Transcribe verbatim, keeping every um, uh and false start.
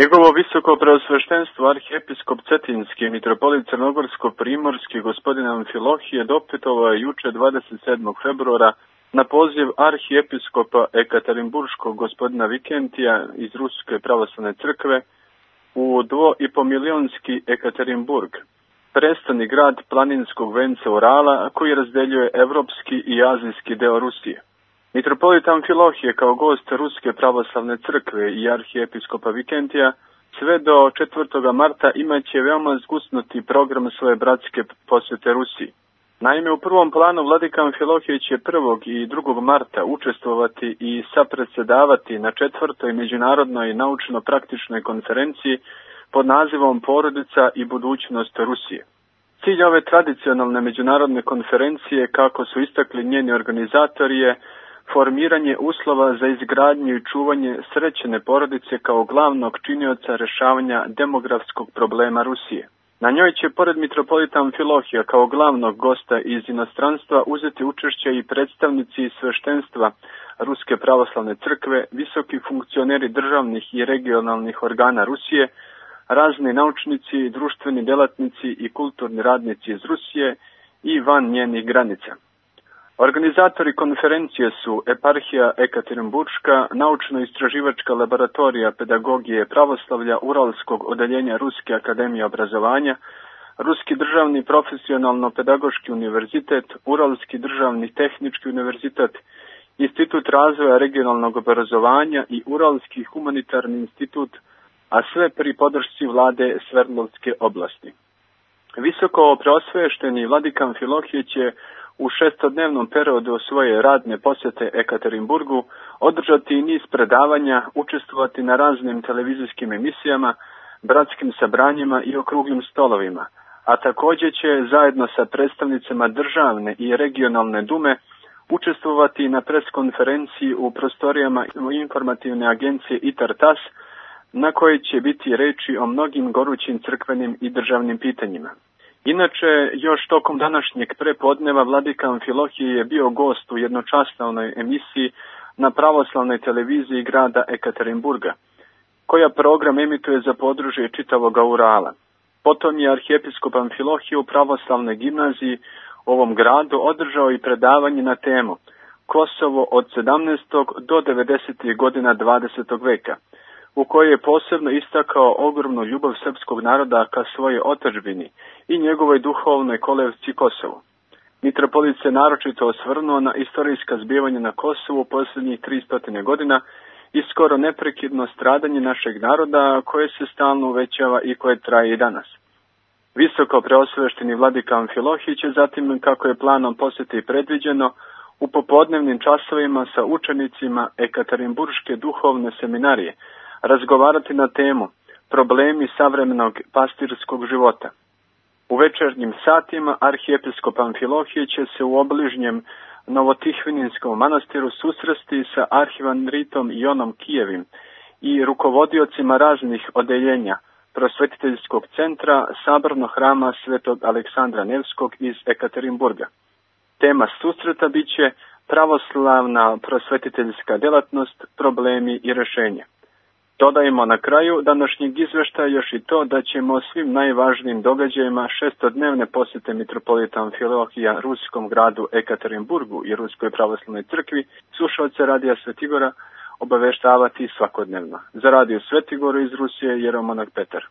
Njegovo visoko preosveštenstvo arhijepiskop Cetinski mitropolit Crnogorsko-primorski gospodin Amfilohije dopetovao je juče dvadeset sedmog februara na poziv arhijepiskopa Ekaterinburškog gospodina Vikentija iz Ruske pravoslavne crkve u dvo i po milionski Ekaterinburg, prestoni grad planinskog venca Urala koji razdeljuje evropski i azijski deo Rusije. Mitropolit Amfilohije kao gost Ruske pravoslavne crkve i arhijepiskopa Vikentija sve do četvrtog marta imaće veoma zgusnuti program svoje bratske posjete Rusiji. Naime, u prvom planu vladika Amfilohije će prvog i drugog marta učestvovati i sapredsjedavati na četvrtoj međunarodnoj naučno-praktičnoj konferenciji pod nazivom Porodica i budućnost Rusije. Cilj ove tradicionalne međunarodne konferencije, kako su istakli njeni organizatori, je formiranje uslova za izgradnju i čuvanje srećene porodice kao glavnog činioca rješavanja demografskog problema Rusije. Na njoj će, pored mitropolita Amfilohija kao glavnog gosta iz inostranstva, uzeti učešće i predstavnici sveštenstva Ruske pravoslavne crkve, visoki funkcioneri državnih i regionalnih organa Rusije, razni naučnici, društveni delatnici i kulturni radnici iz Rusije i van njenih granica. Organizatori konferencije su Eparhija Ekaterinburška, naučno-istraživačka laboratorija pedagogije pravoslavlja Uralskog odeljenja Ruske akademije obrazovanja, Ruski državni profesionalno-pedagoški univerzitet, Uralski državni tehnički univerzitet, Institut razvoja regionalnog obrazovanja i Uralski humanitarni institut, a sve pri podršci vlade Sverdlovske oblasti. Visoko preosvešteni vladika Amfilohije će u šestodnevnom periodu svoje radne posjete Ekaterinburgu održati niz predavanja, učestvovati na raznim televizijskim emisijama, bratskim sabranjima i okruglim stolovima, a također će zajedno sa predstavnicima državne i regionalne dume učestvovati na preskonferenciji u prostorijama informativne agencije ITAR-TAS, na kojoj će biti reči o mnogim gorućim crkvenim i državnim pitanjima. Inače, još tokom današnjeg prepodneva vladika Amfilohije je bio gost u jednočasovnoj emisiji na pravoslavnoj televiziji grada Ekaterinburga, koja program emituje za područje čitavog Urala. Potom je arhijepiskop Amfilohije u pravoslavnoj gimnaziji u ovom gradu održao i predavanje na temu Kosovo od sedamnaestog do devedesetih godina dvadesetog veka, u kojoj je posebno istakao ogromnu ljubav srpskog naroda ka svojoj otadžbini i njegovoj duhovnoj kolevci Kosovu. Mitropolit se naročito osvrnuo na istorijska zbivanja na Kosovu posljednjih tristo godina i skoro neprekidno stradanje našeg naroda koje se stalno uvećava i koje traje i danas. Visoko preosvešteni vladika Amfilohije će zatim, kako je planom posjete predviđeno, u popodnevnim časovima sa učenicima Ekaterinburške duhovne seminarije razgovarati na temu problemi savremenog pastirskog života. U večernjim satima arhijepiskop Amfilohije će se u obližnjem Novotihvininskom manastiru susresti sa arhivandritom Jonom Kijevim i rukovodiocima raznih odeljenja prosvetiteljskog centra Sabornog hrama Svetog Aleksandra Nevskog iz Ekaterinburga. Tema susreta bit će pravoslavna prosvetiteljska djelatnost, problemi i rješenje. Dodajemo na kraju današnjeg izveštaja još i to da ćemo o svim najvažnijim događajima šestodnevne posjete mitropolita Amfilohija ruskom gradu Ekaterinburgu i Ruskoj pravoslavnoj crkvi slušaoce Radija Svetigora obaveštavati svakodnevno. Za Radio Svetigoru iz Rusije Jeromonah Petar.